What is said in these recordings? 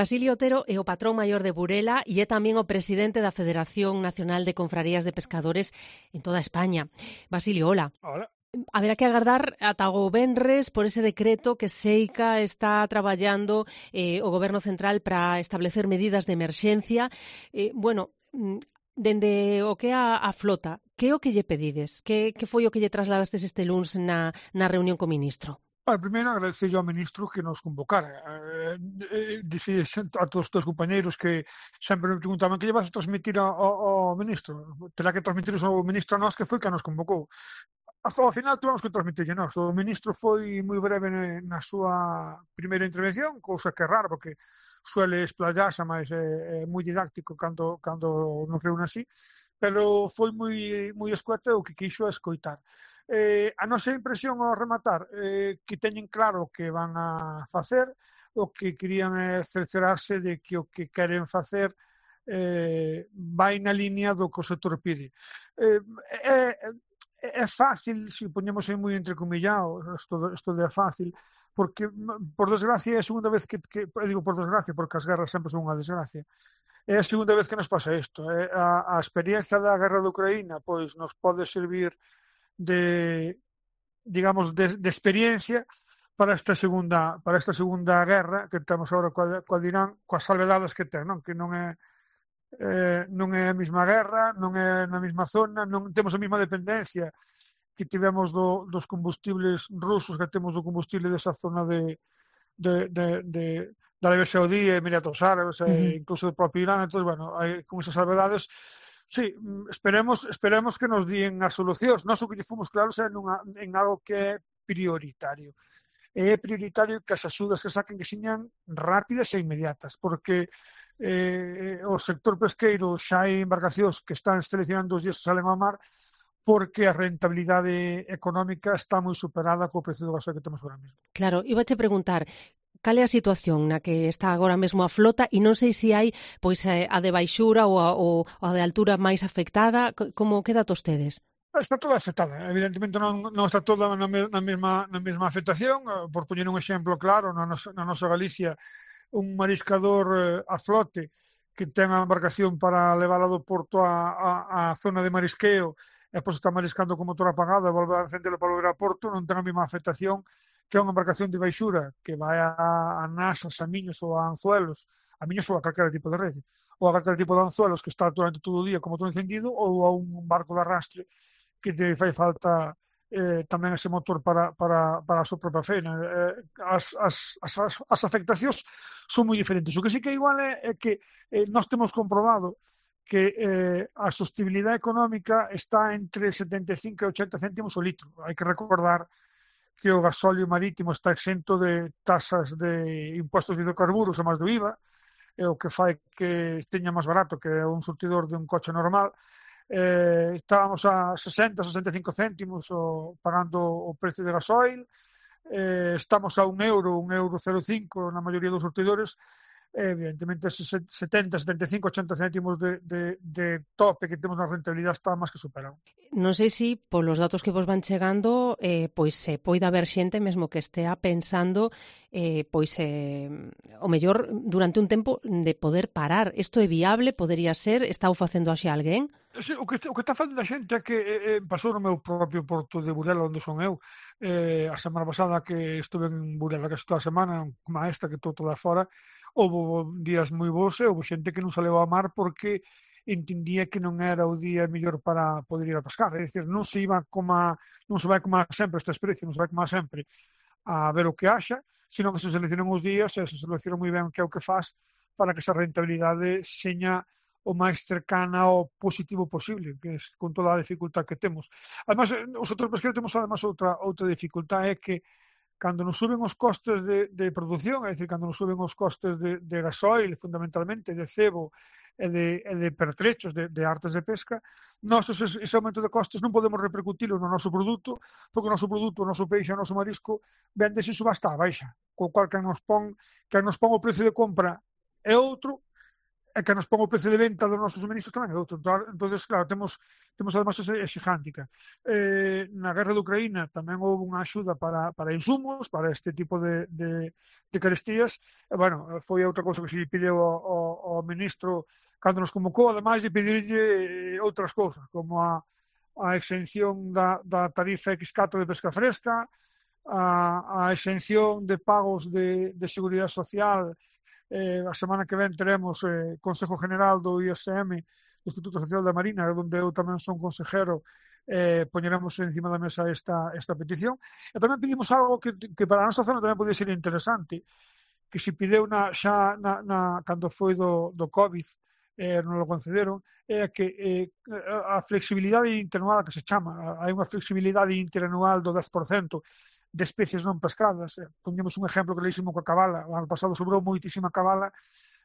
Basilio Otero é o patrón maior de Burela e é tamén o presidente da Federación Nacional de Confrarías de Pescadores en toda España. Basilio, hola. Hola. Haberá que agardar ata o venres por ese decreto que Seica está traballando o Goberno Central para establecer medidas de emerxencia. Dende o que é a flota, que é o que lle pedides? Que foi o que lle trasladastes este luns na reunión co ministro? Primeiro, agradecer ao ministro que nos convocara. Dicía a todos os teus compañeiros que sempre me preguntaban que lle vas a transmitir ao ministro. Terá que transmitir ao ministro a nós, que foi que nos convocou. Ao final tivemos que transmitirlle nós. O ministro foi moi breve na súa primeira intervención, cousa que é rara, porque suele explayarse, mas é moi didáctico cando nos reúne así, pero foi moi escueta o que quixo escoitar. A nosa impresión ao rematar que teñen claro o que van a facer, o que querían é cerciorarse de que o que queren facer vai na línea do que o sector pide. É fácil, se poñemos aí moi entrecomillado, isto é fácil, porque, por desgracia, é a segunda vez que digo por desgracia, porque as guerras sempre son unha desgracia, é a segunda vez que nos pasa isto. A experiencia da guerra de Ucraína pois nos pode servir de experiencia para esta segunda guerra que temos agora coa Irán, coas salvedades que ten, non? Que non é a mesma guerra, non é na mesma zona, non temos a mesma dependencia que tivemos dos combustibles rusos, que temos do combustible desa zona da Arabia Saudí, Emiratos Árabes, incluso do propio Irán. Entón, con esas salvedades, sí, esperemos que nos díen as solucións. Nós o que lle fomos claros é en algo que é prioritario. É prioritario que as axudas que saquen que señan rápidas e inmediatas, porque o sector pesqueiro xa hai embarcacións que están seleccionando os días que salen ao mar, porque a rentabilidade económica está moi superada co precio do gasoil que temos agora mesmo. Claro, ibache preguntar, cal é a situación na que está agora mesmo a flota e non sei se hai pois a de baixura ou a de altura máis afectada, como que datos tedes? Está toda afectada, evidentemente non está toda na mesma afectación. Por poñer un exemplo claro, na nosa Galicia, un mariscador a flote que ten a embarcación para levála do porto á zona de marisqueo e pois está mariscando con motor apagado e volve a encendelo para volver a porto, non ten a mesma afectación que é unha embarcación de baixura que vai a nasas, a miños ou a anzuelos, ou a calquera tipo de rede, ou a calquera tipo de anzuelos que está durante todo o día con motor encendido, ou a un barco de arrastre que te fai falta tamén ese motor para a súa propia feina. As afectacións son moi diferentes. O que sí que é igual é que nós temos comprobado que a sostibilidade económica está entre 75 e 80 céntimos o litro. Hai que recordar que o gasóleo marítimo está exento de tasas de impostos de hidrocarburos e máis do IVA, o que fai que teña máis barato que un surtidor de un coche normal. Estábamos a 60-65 céntimos pagando o precio de gasoil, estamos a €1,05 na maioría dos surtidores. Evidentemente, 70, 75, 80 céntimos de tope que temos na rentabilidade está máis que superado. Non sei se polos datos que vos van chegando pois poida haber xente mesmo que estea pensando o mellor durante un tempo de poder parar. Isto é viable? Podería ser? Está o facendo xa alguén? Sí, o que está facendo a xente é que pasou no meu propio porto de Burela, onde son eu. A semana pasada que estuve en Burela, que toda a semana, como esta que estou toda fora, houve días moi bons e houve xente que non saleu ao mar porque entendía que non era o día mellor para poder ir a pescar. É dicir, non se vai como sempre esta experiencia, non se vai como sempre a ver o que haxa, sino que se seleccionan os días e se selecciona moi ben que é o que faz para que esa rentabilidade seña o máis cercana ao positivo posible, que é con toda a dificultad que temos. Además, o sector pesqueiro temos además outra dificultad, é que cando nos suben os costes de produción, é dicir, cando nos suben os costes de gasoil, fundamentalmente, de cebo e de pertrechos, de artes de pesca, nós ese aumento de costes non podemos repercutilo no noso produto, porque o noso produto, o noso peixe, o noso marisco, vende sin subasta a baixa, co cual que nos pon o precio de compra é outro, e que nos pon o precio de venta dos nosos suministros tamén é outro. Entonces, claro, temos además ese handicap. Na guerra de Ucraína tamén houve unha axuda para insumos, para este tipo de carestías. E, bueno, foi outra cousa que se pideu ao ministro cando nos convocou, ademais de pedirlle outras cousas, como a exención da tarifa X4 de pesca fresca, a exención de pagos de seguridade social. A semana que ven teremos Consejo General do ISM, do Instituto Social da Marina, onde eu tamén son consejero, poñeremos encima da mesa esta petición. E tamén pedimos algo que para a nosa zona tamén pode ser interesante, que se pideu cando foi do COVID, non lo concederon, é que a flexibilidade interanual que se chama, hai unha flexibilidade interanual do 10% de especies non pescadas. Poñemos un exemplo clarísimo coa cabala. O ano pasado sobrou moitísima cabala,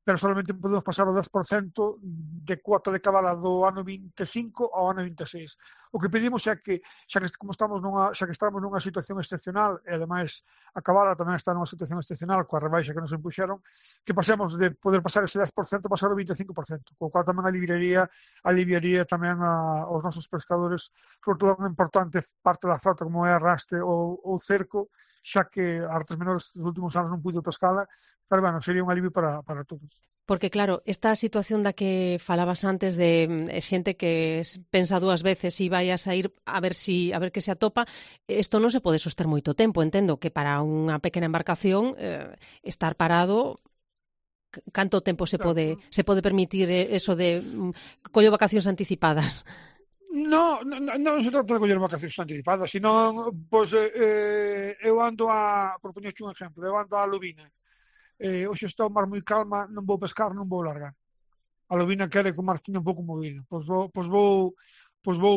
pero solamente podemos pasar o 10% de cuota de cabala do ano 25 ao ano 26. O que pedimos é que, xa que estamos nunha situación excepcional, e ademais a cabala tamén está nunha situación excepcional coa rebaixa que nos impuxeron, que pasemos de poder pasar ese 10% a pasar o 25%, co cual tamén aliviaría tamén aos nosos pescadores, sobre todo unha importante parte da frota como é arrastre ou cerco, xa que a artes menores dos últimos anos non puido pescala, pero, bueno, sería un alivio para todos. Porque, claro, esta situación da que falabas antes de xente que pensa dúas veces se vai a sair a ver que se atopa, isto non se pode soster moito tempo. Entendo que para unha pequena embarcación estar parado, canto tempo se pode permitir eso de collo vacacións anticipadas? Non se trata de coller vacacións anticipadas, senón, pois, eu ando por poñerche un exemplo, eu ando a Lubina. Hoxe está o mar moi calma, non vou pescar, non vou largar. A lubina quere que o mar esteña un pouco movido. Pois vou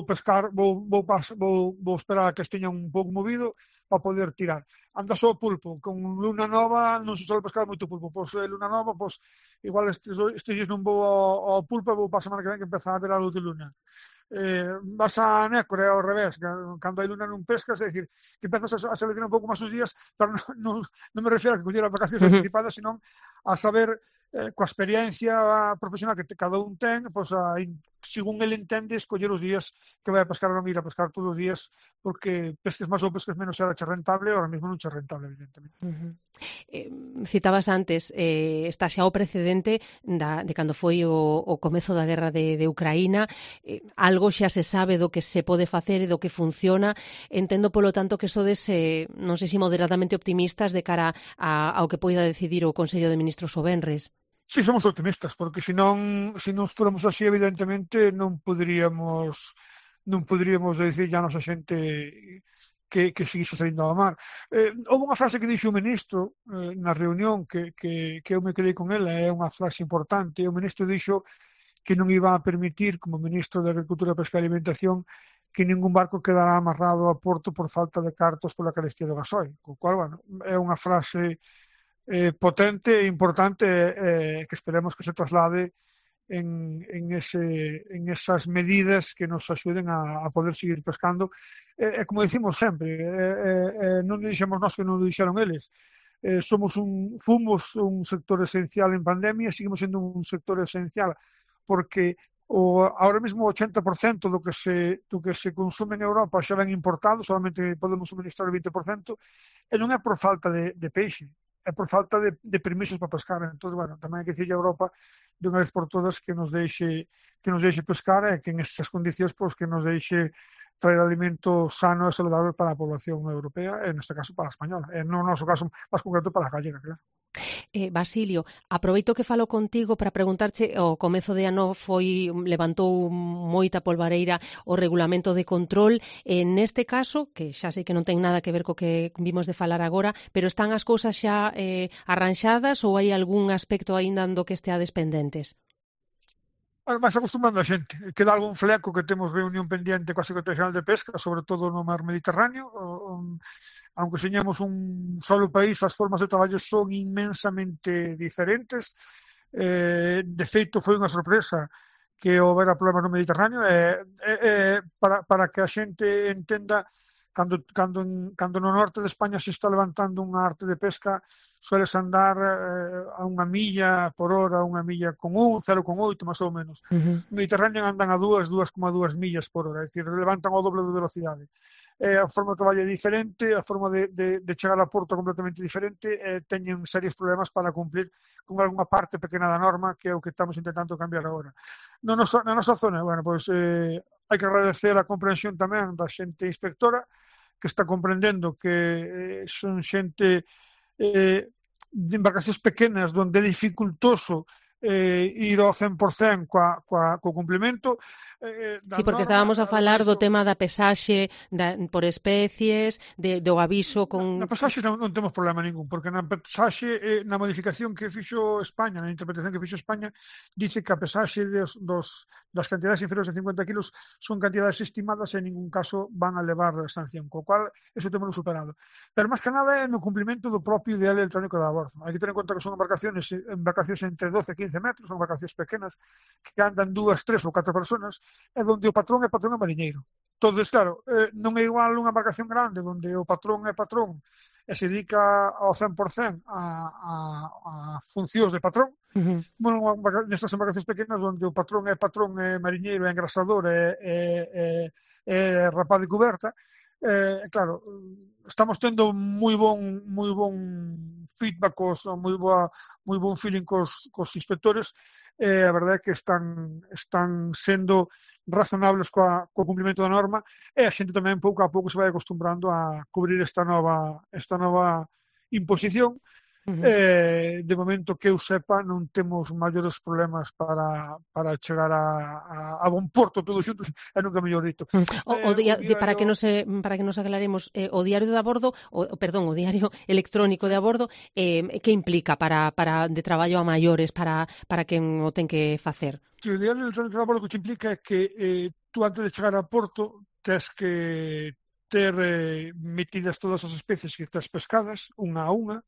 pescar, vou esperar a que esteña un pouco movido para poder tirar. Anda só o pulpo, con luna nova non se sobe pescar moito pulpo. Pois luna nova, pois igual estes dias non vou ao pulpo, vou para a semana que ven que empeza a ver a luz de luna. Vas a nécora ao revés, cando hai luna non pescas, é dicir, que empezas a seleccionar un pouco máis os días, pero non me refiro a que coller as vacacións anticipadas, senón a saber, coa experiencia profesional que cada un ten, pois según ele entende, escoller os días que vai a pescar ou non ir a pescar todos os días, porque pesques máis ou pesques menos será che rentable, ahora mesmo non che rentable, evidentemente. Citabas antes, está xa o precedente de cando foi o comezo da guerra de Ucraína, algo xa se sabe do que se pode facer e do que funciona. Entendo, polo tanto, que sodes, non sei se moderadamente optimistas de cara ao que poida decidir o Consello de Ministros o venres. Sí, somos optimistas, porque se non fóramos así, evidentemente, non poderíamos dicir a nosa xente que seguise saindo ao mar. Houve unha frase que dixo o ministro na reunión que eu me quedei con ela, é unha frase importante. O ministro dixo que non iba a permitir, como ministro de Agricultura, Pesca e Alimentación, que ningún barco quedará amarrado a porto por falta de cartos pola carestía do gasoil. Co cual, bueno, é unha frase potente e importante, que esperemos que se traslade en esas medidas que nos axuden a poder seguir pescando. Como decimos sempre, non dixemos nós que non o dixeron eles. Fomos un sector esencial en pandemia, seguimos sendo un sector esencial porque ahora mesmo o 80% do que se consume en Europa xa ven importado, solamente podemos suministrar o 20%, e non é por falta de peixe, é por falta de permisos para pescar. Entón, bueno, tamén hai que dicirle a Europa de unha vez por todas que nos deixe pescar e que en esas condicións pois, que nos deixe traer alimento sano e saludable para a población europea, e neste caso para a española, e no noso caso máis concreto para a gallega, claro. Basilio, aproveito que falo contigo para preguntarche, o comezo de ano levantou moita polvareira o regulamento de control, neste caso, que xa sei que non ten nada que ver co que vimos de falar agora, pero están as cousas xa arranxadas ou hai algún aspecto aínda do que esteades pendentes? Máis acostumando a xente. Queda algún fleco que temos reunión pendiente coa Secretaría Xeral de Pesca, sobre todo no mar Mediterráneo. Aunque señamos un solo país, as formas de traballo son inmensamente diferentes. De feito, foi unha sorpresa que houbera problemas no Mediterráneo. Para que a xente entenda, Cando no norte de España se está levantando unha arte de pesca, sueles andar a unha milla por hora, unha milla con 0,8 máis ou menos. No Mediterráneo andan a 2,2 millas por hora, é dicir, levantan o doble de velocidade. A forma de traballo é diferente, a forma de chegar a Porto é completamente diferente, teñen serios problemas para cumplir con algunha parte pequena da norma, que é o que estamos intentando cambiar agora. Na nosa zona, bueno, pois hai que agradecer a comprensión tamén da xente inspectora, que está comprendendo que son xente de embarcacións pequenas onde é dificultoso ir ao 100% co cumplimento Sí, porque estábamos a falar do tema da pesaxe por especies, do aviso con... Na pesaxe non temos problema ningún, porque na pesaxe, na modificación que fixo España, na interpretación que fixo España, dice que a pesaxe das cantidades inferiores de 50 kilos son cantidades estimadas e en ningún caso van a levar sanción, co cual eso temos superado. Pero máis que nada é no cumplimento do propio ideal electrónico da abordo. Hai que ter en conta que son embarcacións entre 12 e 15 metros, son embarcacións pequenas, que andan 2, 3 ou 4 personas, é onde o patrón é mariñeiro. Entonces, claro, non é igual unha embarcación grande onde o patrón é patrón e se dedica ao 100% a funcións de patrón. Bueno, nestas embarcacións pequenas onde o patrón é mariñeiro, é engrasador, é rapaz de cuberta. Claro, estamos tendo moi bon feedback, moi bon feeling cos inspectores. A verdade é que están sendo razonables co cumprimento da norma e a xente tamén pouco a pouco se vai acostumbrando a cubrir esta nova imposición. De momento que eu sepa non temos maiores problemas para chegar a bon porto todos xuntos, e nunca mellor dito. Para que nos aclaremos, o diario de abordo, o diario electrónico de abordo, que implica de traballo a maiores para quen o ten que facer? O diario electrónico de abordo que implica é que tú antes de chegar a porto tes que ter metidas todas as especies que tes pescadas, unha a unha,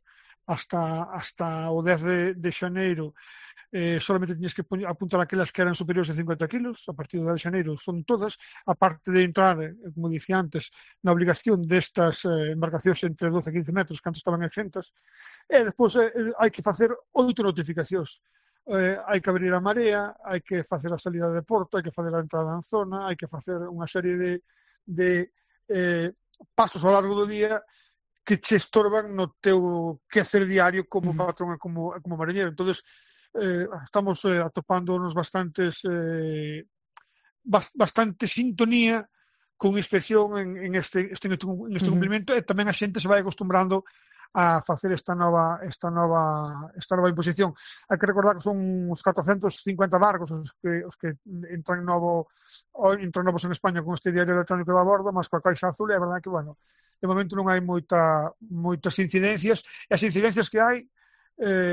hasta o 10 de xaneiro solamente tiñes que apuntar aquelas que eran superiores a 50 kilos, a partir do 10 de xaneiro son todas, aparte de entrar, como dicía antes, na obligación destas embarcacións entre 12 e 15 metros que antes estaban exentas, e despois hai que facer 8 notificacións. Hai que abrir a marea, hai que facer a salida de porto, hai que facer a entrada en zona, hai que facer unha serie de pasos ao largo do día que che estorban no teu quehacer diario como patrón e como mariñeiro. Entonces, estamos atopándonos bastante sintonía con inspección en este cumprimento, e tamén a xente se vai acostumbrando a facer esta nova imposición. Hai que recordar que son uns 450 barcos os que entran novos en España con este diario electrónico de abordo, mas coa caixa azul, é a verdade que, bueno, de momento non hai moitas incidencias, e as incidencias que hai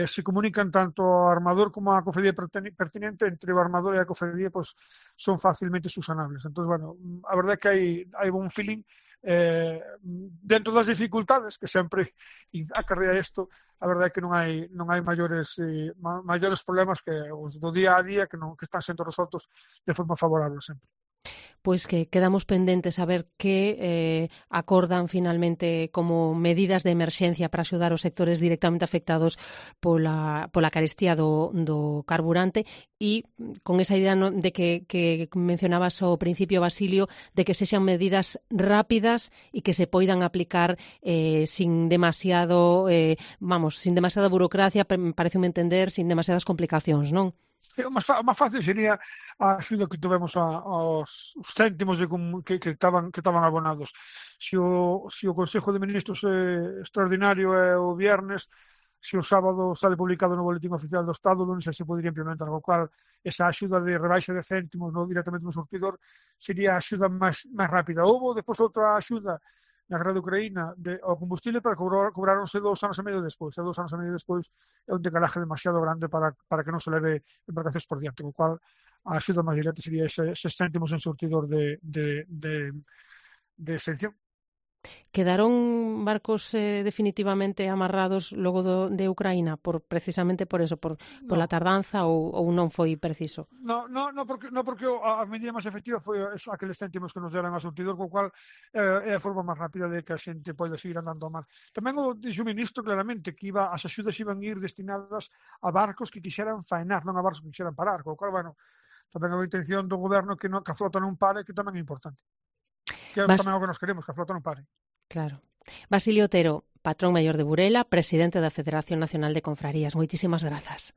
se comunican tanto ao armador como á cofradía pertinente. Entre o armador e a cofradía pois son facilmente subsanables. Entón, bueno, a verdade é que hai bon feeling dentro das dificultades que sempre acarrea isto. A verdade é que non hai maiores problemas que os do día a día que están sendo resoltos de forma favorable sempre. Pois que quedamos pendentes a ver que acordan finalmente como medidas de emerxencia para axudar os sectores directamente afectados pola carestía do carburante, e con esa idea de que mencionabas ao principio, Basilio, de que sexan medidas rápidas e que se poidan aplicar sin demasiada burocracia, pareceme entender, sin demasiadas complicacións, non? O máis fácil sería a axuda que tivemos aos céntimos que estaban abonados. Se o Consello de Ministros extraordinario é o viernes, se o sábado sale publicado no Boletín Oficial do Estado, non sei se podería implementar, co cual esa axuda de rebaixa de céntimos directamente no surtidor sería a axuda máis rápida. Houbo despois outra axuda na guerra de Ucraína ao combustible, para cobráronse 2 anos e medio despois. E 2 anos e medio despois é un decalaje demasiado grande para que non se leve embarcacións por diante, co cual a axuda máis directa sería eses céntimos en surtidor de exención. Quedaron barcos definitivamente amarrados logo de Ucraína precisamente por eso, pola No, tardanza ou non foi preciso? porque a medida máis efectiva foi eso, aqueles céntimos que nos deran ao surtidor, co cual é a forma máis rápida de que a xente poida seguir andando ao mar. Tamén dixo o ministro claramente que as axudas iban ir destinadas a barcos que quixeran faenar, non a barcos que quixeran parar, co cual, bueno, tamén é a intención do goberno que a flota non pare, que tamén é importante. Que é Vas, tamén o que nos queremos, que a flota non pare. claro. Basilio Otero, patrón maior de Burela, presidente da Federación Nacional de Confrarías. Moitísimas grazas.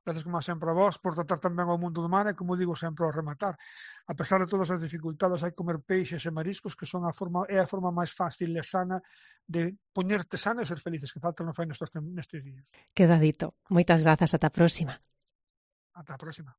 Gracias como sempre a vos por tratar tamén ao mundo do mar e, como digo sempre ao rematar, a pesar de todas as dificultades, hai que comer peixes e mariscos, que son é a forma máis fácil e sana de poñerte sana e ser felices, que falta non fai nestes días. Queda dito. Moitas grazas, ata a próxima. Ata a próxima.